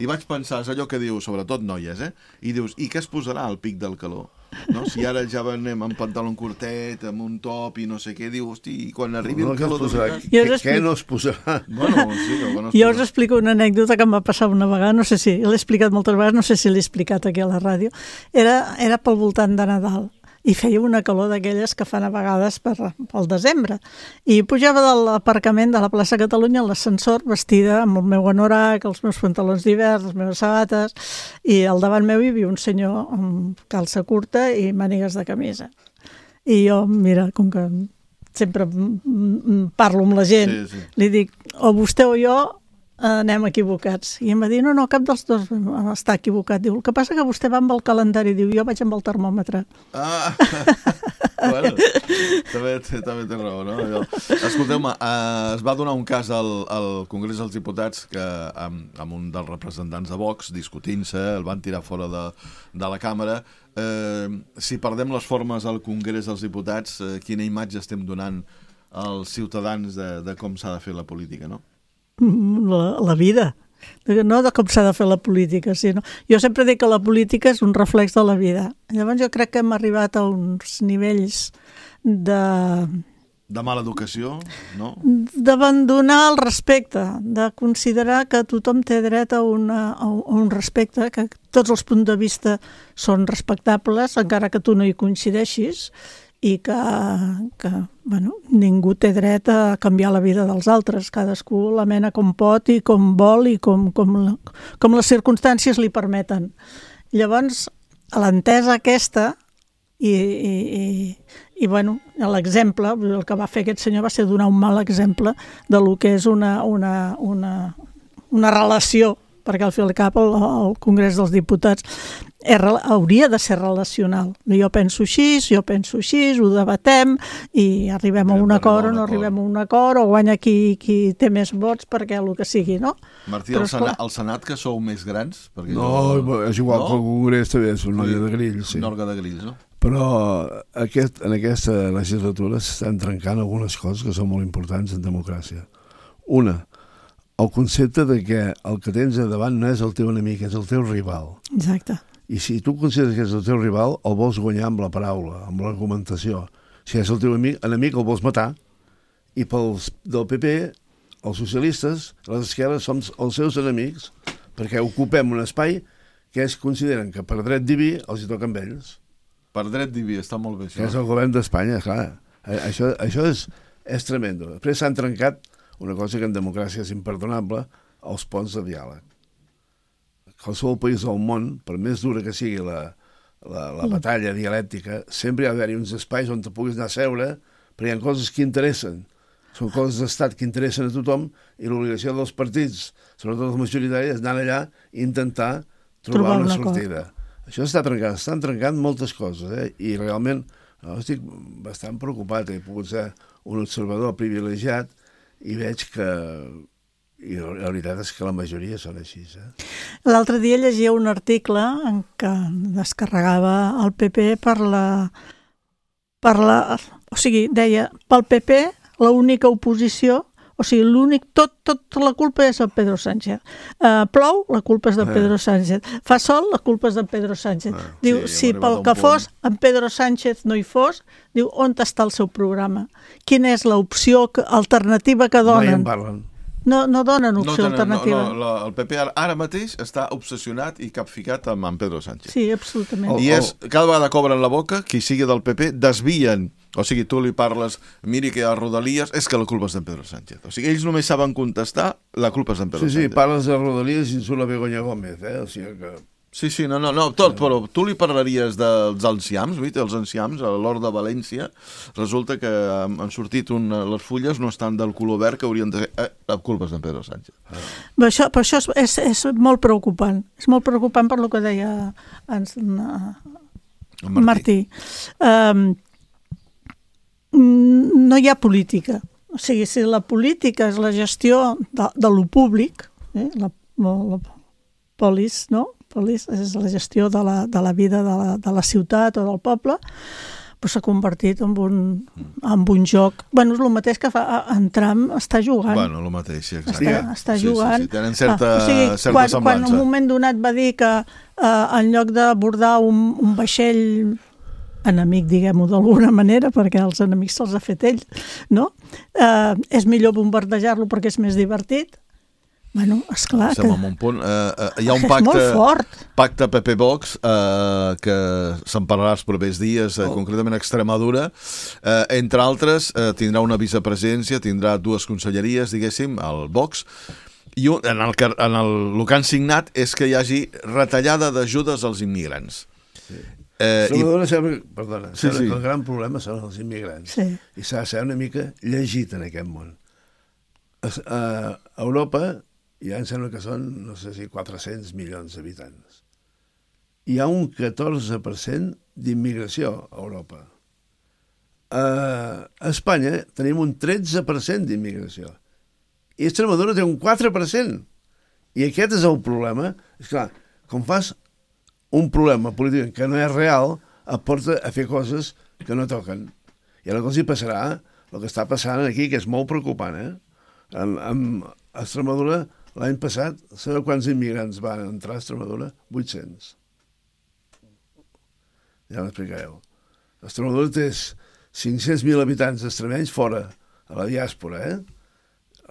I vaig pensar, és allò que diu, sobretot noies, i dius, i què es posarà al pic del calor? No? Si ara ja anem amb pantaló curtet, amb un top i no sé què, diu, hosti, i quan arribi el calor...
Què no es posarà?
Jo us explico una anècdota que em va passar una vegada, no sé si l'he explicat moltes vegades, no sé si l'he explicat aquí a la ràdio. Era pel voltant de Nadal i feia una calor d'aquelles que fan a vegades pel desembre. I pujava de l'aparcament de la plaça Catalunya a l'ascensor vestida amb el meu anorac, els meus pantalons d'hivern, les meves sabates, i al davant meu hi havia un senyor amb calça curta i mànigues de camisa. I jo, mira, com que sempre parlo amb la gent, li dic, o vostè o jo anem equivocats. I em va dir, no, cap dels dos està equivocat. Diu, el que passa que vostè va amb el calendari, diu, jo vaig amb el termòmetre.
Bueno, també té raó, no? Escolteu-me, es va donar un cas al Congrés dels Diputats que amb un dels representants de Vox, discutint-se, el van tirar fora de la càmera. Si perdem les formes al Congrés dels Diputats, quina imatge estem donant als ciutadans de com s'ha de fer la política, no?
La vida, no de com s'ha de fer la política, sinó... Jo sempre dic que la política és un reflex de la vida. Llavors jo crec que hem arribat a uns nivells
de mala educació, no?
D'abandonar el respecte, de considerar que tothom té dret a un respecte, que tots els punts de vista són respectables, encara que tu no hi coincideixis, i que ningú té dret a canviar la vida dels altres. Cadascú la mena com pot i com vol i com les circumstàncies li permeten. Llavors, a l'entesa aquesta, i l'exemple, el que va fer aquest senyor va ser donar un mal exemple de lo que és una relació, perquè al fi i al cap el Congrés dels Diputats hauria de ser relacional. Jo penso així, ho debatem i arribem a un acord o no arribem a un acord, o guanya qui té més vots perquè el que sigui, no?
Martí, al Senat que sou més grans?
No, és igual que el Congrés també és una orga de grills.
Una orga de grills, no?
Però en aquesta legislatura s'estan trencant algunes coses que són molt importants en democràcia. Una, el concepte de que el que tens a davant no és el teu enemic, és el teu rival.
Exacte.
I si tu consideres que és el teu rival, el vols guanyar amb la paraula, amb l'argumentació. Si és el teu enemic, el vols matar. I pels del PP, els socialistes, les esquerres, som els seus enemics, perquè ocupem un espai que ells consideren que per dret diví els hi toca amb ells.
Per dret diví, està molt bé això.
Que és el govern d'Espanya, clar. Això és tremendo. Després s'han trencat una cosa que en democràcia és imperdonable, els ponts de diàleg. Qualsevol país del món, per més dura que sigui la batalla dialèctica, sempre hi ha d'haver uns espais on te puguis anar a seure, perquè hi ha coses que interessen. Són coses d'estat que interessen a tothom i l'obligació dels partits, sobretot els majoritaris, és anar allà i intentar trobar una sortida. Això està trencat, estan trencant moltes coses, i realment estic bastant preocupat. He pogut ser un observador privilegiat i veig que... I la veritat és que la majoria són així.
L'altre dia llegia un article en què descarregava el PP o sigui, deia, pel PP l'única oposició, o sigui, tot la culpa és de Pedro Sánchez. Plou, la culpa és de Pedro Sánchez. Fa sol, la culpa és de Pedro Sánchez. Diu, si pel que fos en Pedro Sánchez no hi fos, diu, on està el seu programa? Quina és l'opció alternativa que donen?
No hi en parlen.
No donen opció alternativa.
El PP ara mateix està obsessionat i capficat amb Pedro Sánchez.
Sí, absolutament.
I cada vegada cobren la boca, qui sigui del PP, desvien. O sigui, tu li parles, miri que hi ha Rodalies, és que la culpa és d'en Pedro Sánchez. O sigui, ells només saben contestar, la culpa és d'en Pedro Sánchez.
Sí, parles de Rodalies i surt la Begoña Gómez, o sigui que...
Sí, tot, però tu li parlaries dels enciams, els enciams, a l'Hort de València, resulta que han sortit les fulles no estan del color verd que haurien de ser... La culpa és d'en Pedro Sánchez.
Per això és molt preocupant. És molt preocupant per el que deia Martí. No hi ha política. O sigui, si la política és la gestió de lo públic, la polis, no? És la gestió de la vida de la ciutat o del poble, s'ha convertit en un joc. Bueno, és el mateix que fa en Trump està jugant.
Bueno, el mateix, sí, exacte.
Està jugant.
Sí, tenen certa semblança.
Quan en un moment donat va dir que en lloc d'abordar un vaixell enemic, diguem-ho d'alguna manera, perquè els enemics se'ls ha fet ell, no? És millor bombardejar-lo perquè és més divertit. Bueno, esclar que...
Estem en un punt. Hi ha un pacte PP-Vox que se'n parlarà els propers dies, concretament a Extremadura. Entre altres, tindrà una vicepresidència, tindrà 2 conselleries, diguéssim, el Vox, i el que han signat és que hi hagi retallada d'ajudes als immigrants.
Extremadura sembla que el gran problema són els immigrants. I s'ha de ser una mica llegit en aquest món. A Europa ja em sembla que són, no sé si 400 milions d'habitants. Hi ha un 14% d'immigració a Europa. A Espanya tenim un 13% d'immigració. I Extremadura té un 4%. I aquest és el problema. És clar, com fas un problema polític que no és real, et porta a fer coses que no toquen. I ara que els hi passarà el que està passant aquí, que és molt preocupant, amb Extremadura. L'any passat, sabeu quants immigrants van entrar a Extremadura? 800. Ja m'explicareu. Extremadura té 500.000 habitants extremenys fora, a la diàspora,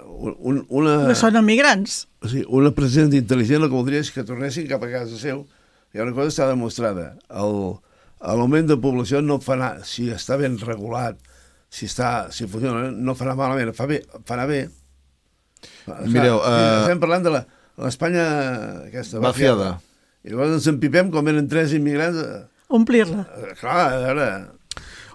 Que són emigrants.
O sigui, una presidenta intel·ligent el que voldria és que tornessin cap a casa seu. Hi ha una cosa que està demostrada. L'augment de població no fa anar, si està ben regulat, si funciona, no farà malament, farà bé.
Mireu,
estem parlant de l'Espanya aquesta vaciada. I llavors ens empipem com venen 3 immigrants.
Omplir-la.
Clar, a veure...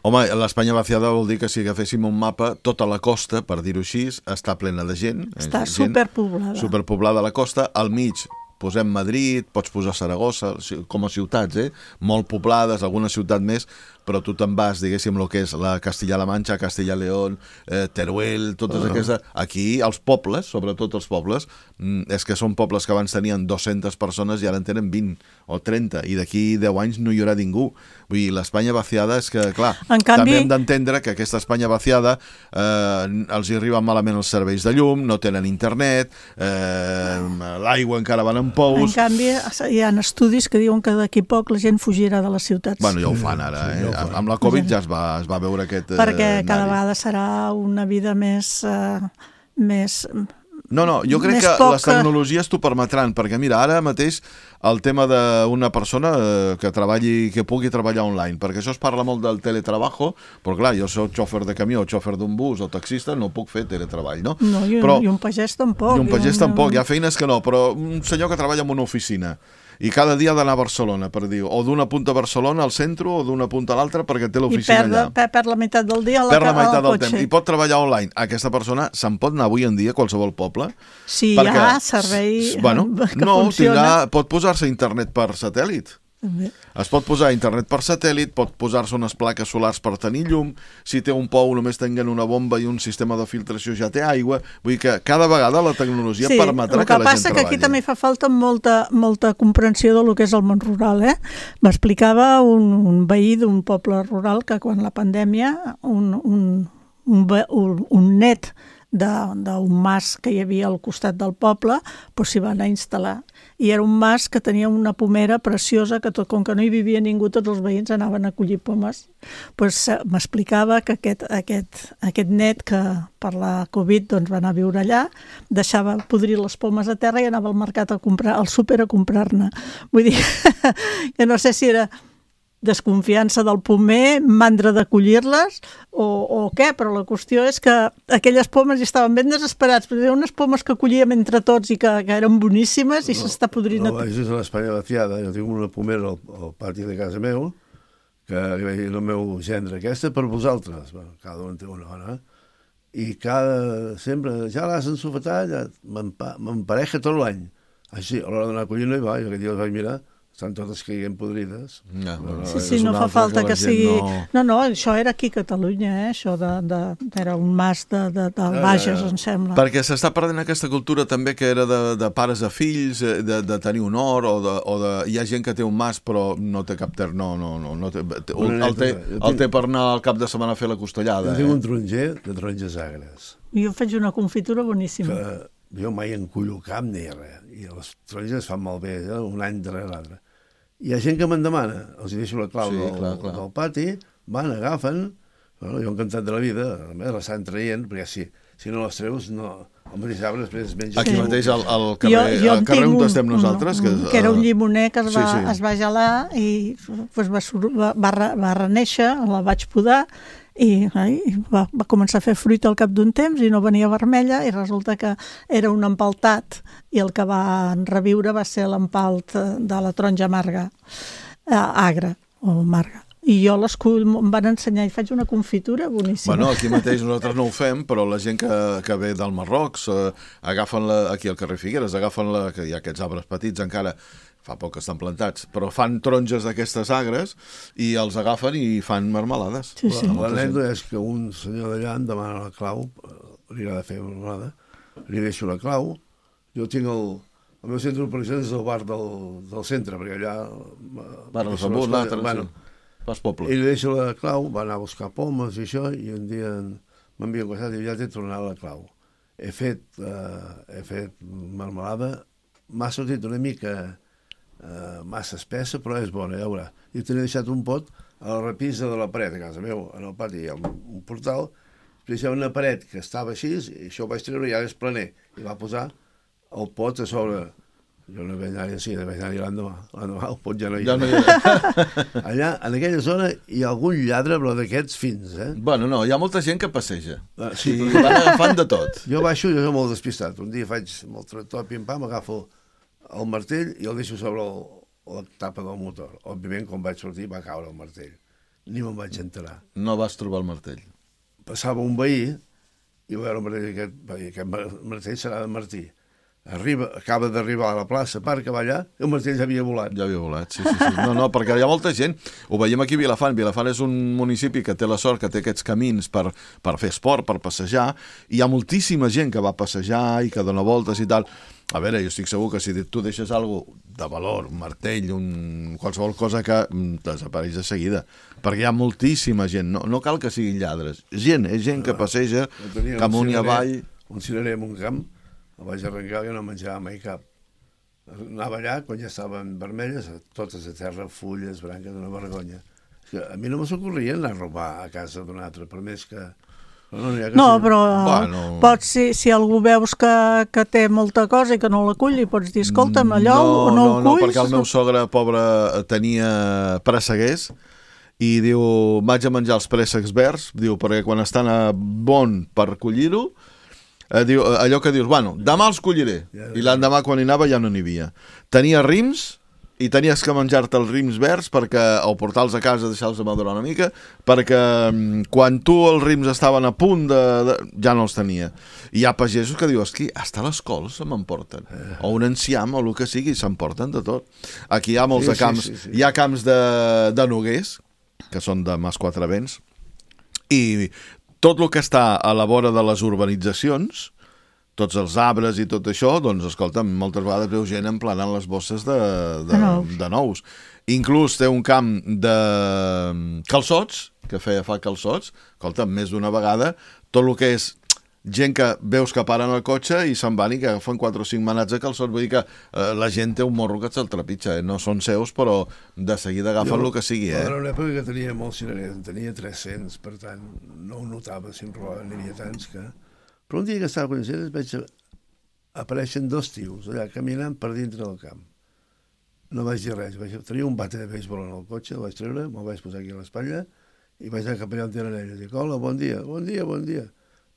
Home, l'Espanya vaciada vol dir que si agaféssim un mapa, tota la costa, per dir-ho així, està plena de gent.
Està superpoblada.
Superpoblada la costa. Al mig posem Madrid, pots posar Saragossa, com a ciutats, molt poblades, alguna ciutat més, però tu te'n vas, diguéssim, el que és la Castilla-La Manxa, Castilla-León, Teruel, totes aquestes... Aquí, els pobles, sobretot els pobles, és que són pobles que abans tenien 200 persones i ara en tenen 20 o 30, i d'aquí 10 anys no hi haurà ningú. Vull dir, l'Espanya vaciada és que, clar, també hem d'entendre que aquesta Espanya vaciada els hi arriben malament els serveis de llum, no tenen internet, l'aigua encara van en pous...
En canvi, hi ha estudis que diuen que d'aquí poc la gent fugirà de les ciutats.
Bueno, ja ho fan ara, amb la Covid ja es va veure aquest...
Perquè cada vegada serà una vida més...
No, jo crec que les tecnologies t'ho permetran, perquè mira, ara mateix el tema d'una persona que pugui treballar online, perquè això es parla molt del teletrabajo, però clar, jo soc xòfer de camió, xòfer d'un bus o taxista, no puc fer teletreball, no?
No, i un pagès tampoc.
I un pagès tampoc, hi ha feines que no, però un senyor que treballa en una oficina i cada dia ha d'anar a Barcelona, per dir, o d'una punta a Barcelona al centre o d'una punta a l'altra perquè té l'oficina allà.
I perd la meitat del dia
perd la meitat del temps. I pot treballar online. Aquesta persona se'n pot anar avui en dia a qualsevol poble.
Sí, hi ha servei que funciona.
Pot posar-se a internet per satèl·lit. Es pot posar internet per satèl·lit, pot posar-se unes plaques solars per tenir llum, si té un pou només tinguent una bomba i un sistema de filtració ja té aigua, vull dir que cada vegada la tecnologia permetrà que la gent treballi.
El que passa que aquí també fa falta molta comprensió del que és el món rural. M'explicava un veí d'un poble rural que quan la pandèmia un net d'un mas que hi havia al costat del poble s'hi va anar a instal·lar. I era un mas que tenia una pomera preciosa que com que no hi vivia ningú, tots els veïns anaven a collir pomes. M'explicava que aquest net que per la Covid va anar a viure allà, deixava podrir les pomes a terra i anava al mercat al súper a comprar-ne. Vull dir, que no sé si era desconfiança del pomer, mandra de collir-les o què, però la qüestió és que aquelles pomes estaven ben desesperats, perquè hi ha unes pomes que collíem entre tots i que eren boníssimes i s'està podrint.
No, això és a l'Espanya vaciada. Jo tinc una pomera al pati de casa meu, que el meu gendre, aquesta per vosaltres, cada un té una hora, i sempre, ja l'has ensofetat, m'empareja tot l'any. Així, a l'hora d'anar a collir no hi va, jo aquest dia els vaig mirar, estan totes caient podrides.
Sí, no fa falta que sigui... No, això era aquí a Catalunya, això era un mas de Bages, em sembla.
Perquè s'està perdent aquesta cultura també que era de pares a fills, de tenir honor, o hi ha gent que té un mas però no té cap el té per anar al cap de setmana a fer la costellada.
Jo tinc un taronger de taronges agres.
Jo faig una confitura boníssima.
Jo mai encullo cap ni res, i les taronges es fan malbé, un any darrere l'altre. Hi ha gent que me'n demana, els deixo la clau del pati, van, agafen, jo encantat de la vida, l'estan traient, perquè si no les treus, el mateix arbre després es menja.
Aquí mateix, al carrer on estem nosaltres.
Que era un llimoner que es va gelar i va renéixer, la vaig podar, i va començar a fer fruit al cap d'un temps i no venia vermella, i resulta que era un empaltat, i el que va reviure va ser l'empalt de la taronja amarga, agra o amarga. I jo em van ensenyar i faig una confitura boníssima.
Bueno, aquí mateix nosaltres no ho fem, però la gent que ve del Marroc agafen aquí al carrer Figueres, que hi ha aquests arbres petits encara, fa poc que estan plantats, però fan taronges d'aquestes agres i els agafen i fan marmelades.
L'anècdota és que un senyor d'allà em demana la clau, li agrada fer marmelada, li deixo la clau, jo tinc el meu centre d'operacions és el bar del centre, perquè allà... I li deixo la clau, va anar a buscar pomes i això, i un dia m'envia un costat i ja t'he tornat la clau. He fet marmelada, m'ha sortit una mica massa espessa, però és bona, ja veurà. I tenia deixat un pot a la repisa de la paret a casa meu, en el pati hi ha un portal, després hi ha una paret que estava així, i això ho vaig treure i ara és planer, i va posar el pot a sobre. Jo no vaig anar-hi així, vaig anar-hi l'endemà, el pot ja no hi ha. Allà, en aquella zona, hi ha algun lladre, però d'aquests fins,
Bueno, no, hi ha molta gent que passeja. Sí, van agafant de tot.
Jo baixo, jo soc molt despistat. Un dia faig amb el tractor, pim-pam, agafo el martell i el deixo sobre la tapa del motor. Òbviament, quan vaig sortir, va caure el martell. Ni me'n vaig enterar.
No vas trobar el martell.
Passava un veí i va veure el martell, aquest martell serà de Martí. Acaba d'arribar a la plaça, parc, va allà, i el martell ja havia volat.
Ja havia volat, sí. No, perquè hi ha molta gent, ho veiem aquí a Vilafant. Vilafant és un municipi que té la sort, que té aquests camins per fer esport, per passejar, i hi ha moltíssima gent que va passejar i que dona voltes i tal. A veure, jo estic segur que si tu deixes alguna de valor, un martell, qualsevol cosa que desapareix de seguida, perquè hi ha moltíssima gent, no cal que siguin lladres, és gent que passeja amunt i avall.
Un cirerer en un camp, el vaig arrencar i no menjava mai cap. Anava allà, quan ja estaven vermelles, totes a terra, fulles, branques, d'una vergonya. A mi no me s'ocorria anar a robar a casa d'un altre, per més que...
No, però pots, si algú veus que té molta cosa i que no l'acull, li pots dir, escolta'm, allò no ho culls?
No, perquè el meu sogre, pobre, tenia presseguers i diu, vaig a menjar els préssecs verds, diu, perquè quan estan a bon per collir-ho, diu, allò que dius, bueno, demà els colliré, i l'endemà quan hi anava ja no n'hi havia. Tenia rims i tenies que menjar-te els rims verds o portar-los a casa, deixar-los madurar una mica, perquè quan els rims estaven a punt ja no els tenia. I hi ha pagesos que dius, que hasta les cols se m'emporten, o un enciam o el que sigui, s'emporten de tot. Aquí hi ha molts camps, hi ha camps de noguers, que són de Mas Quatre Vents, i tot el que està a la vora de les urbanitzacions, tots els arbres i tot això, doncs, escolta, moltes vegades veu gent emplenant les bosses de nous. Inclús té un camp de calçots, que fa calçots, escolta, més d'una vegada, tot el que és gent que veus que paren el cotxe i se'n van i que agafen 4 o 5 manats de calçots, vull dir que la gent té un morro que se'l trepitja, no són seus, però de seguida agafen el que sigui.
Era una època que tenia molts cirerers, en tenia 300, per tant, no ho notava, si em robaven, n'hi havia tants que... Però un dia que estava coneixent vaig apareixen 2 tios allà caminant per dintre del camp. No vaig dir res, tenia un bate de béisbol en el cotxe, el vaig treure, me'l vaig posar aquí a l'espatlla i vaig anar cap allà on eren ells. Dic, hola, bon dia.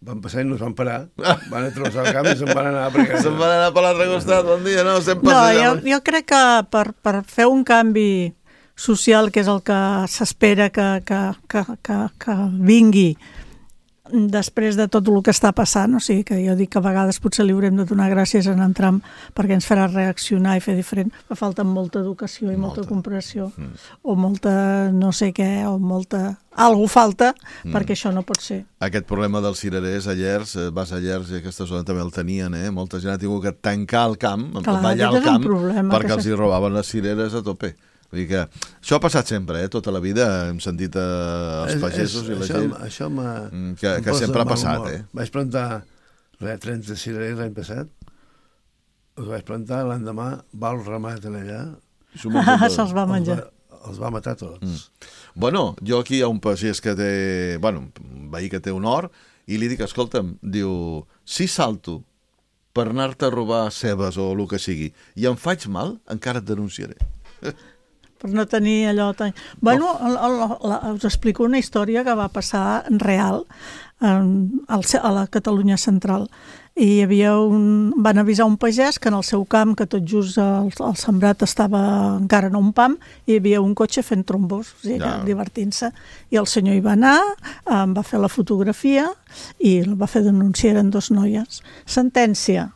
Van passar i no es van parar, van a travessar el camp i se'n van anar
se'n van anar per l'altre costat, bon dia, no?
Jo crec que per fer un canvi social, que és el que s'espera que vingui, després de tot el que està passant, o sigui que jo dic que a vegades potser li haurem de donar gràcies en Trump perquè ens farà reaccionar i fer diferent, fa falta molta educació i molta comprensió, o molta no sé què, o molta... Algú falta perquè això no pot ser.
Aquest problema dels cirerers a Llers, vas a Llers i aquesta zona també el tenien, molta gent ha tingut que tancar el camp, ballar al camp, perquè els hi robaven les cireres a tope. Vull dir que això ha passat sempre, tota la vida hem sentit els pagesos i la gent que sempre ha passat.
Vaig plantar 30 cirerers l'any passat, els vaig plantar, l'endemà va el ramat allà,
se'ls va menjar.
Els va matar tots.
Bueno, jo aquí hi ha un pagès que té, un veí que té un hort, i li dic, escolta'm, diu, si salto per anar-te a robar cebes o el que sigui, i em faig mal, encara et denunciaré.
Per no tenir allò... Bueno, us explico una història que va passar real a la Catalunya central. I hi havia van avisar un pagès que en el seu camp, que tot just el sembrat estava encara en un pam, hi havia un cotxe fent trombós, o sigui, divertint-se. I el senyor hi va anar, va fer la fotografia i el va fer denunciar, eren 2 noies. Sentència,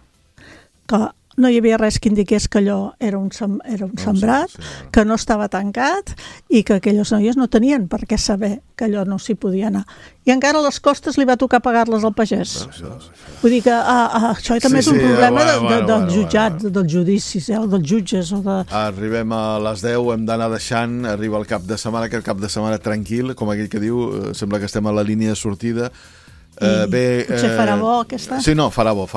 que no hi havia res que indiqués que allò era un sembrat, que no estava tancat i que aquelles noies no tenien per què saber que allò no s'hi podia anar. I encara a les costes li va tocar pagar-les al pagès. Vull dir que això també és un problema dels jutjats, dels judicis, dels jutges.
Arribem a les 10, hem d'anar deixant, arriba el cap de setmana, aquest cap de setmana tranquil, com aquell que diu, sembla que estem a la línia de sortida.
Potser farà bo aquesta?
Sí, no, farà bo.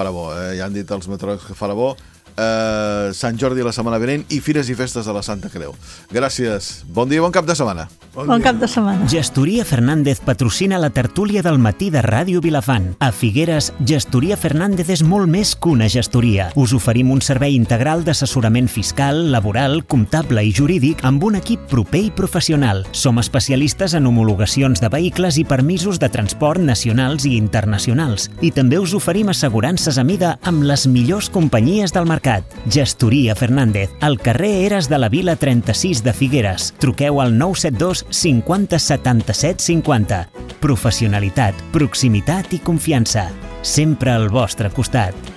Ja han dit els meteoròlegs que farà bo. Sant Jordi la setmana vinent i Fires i Festes de la Santa Creu. Gràcies, bon dia i bon cap de setmana.
Bon cap de setmana.
Gestoria Fernández patrocina la tertúlia del matí de Ràdio Vilafant. A Figueres, Gestoria Fernández és molt més que una gestoria. Us oferim un servei integral d'assessorament fiscal, laboral, comptable i jurídic amb un equip proper i professional. Som especialistes en homologacions de vehicles i permisos de transport nacionals i internacionals. I també us oferim assegurances a mida amb les millors companyies del mercat. Gestoria Fernández, al carrer Eres de la Vila 36 de Figueres. Truqueu al 972 50 77 50. Professionalitat, proximitat i confiança. Sempre al vostre costat.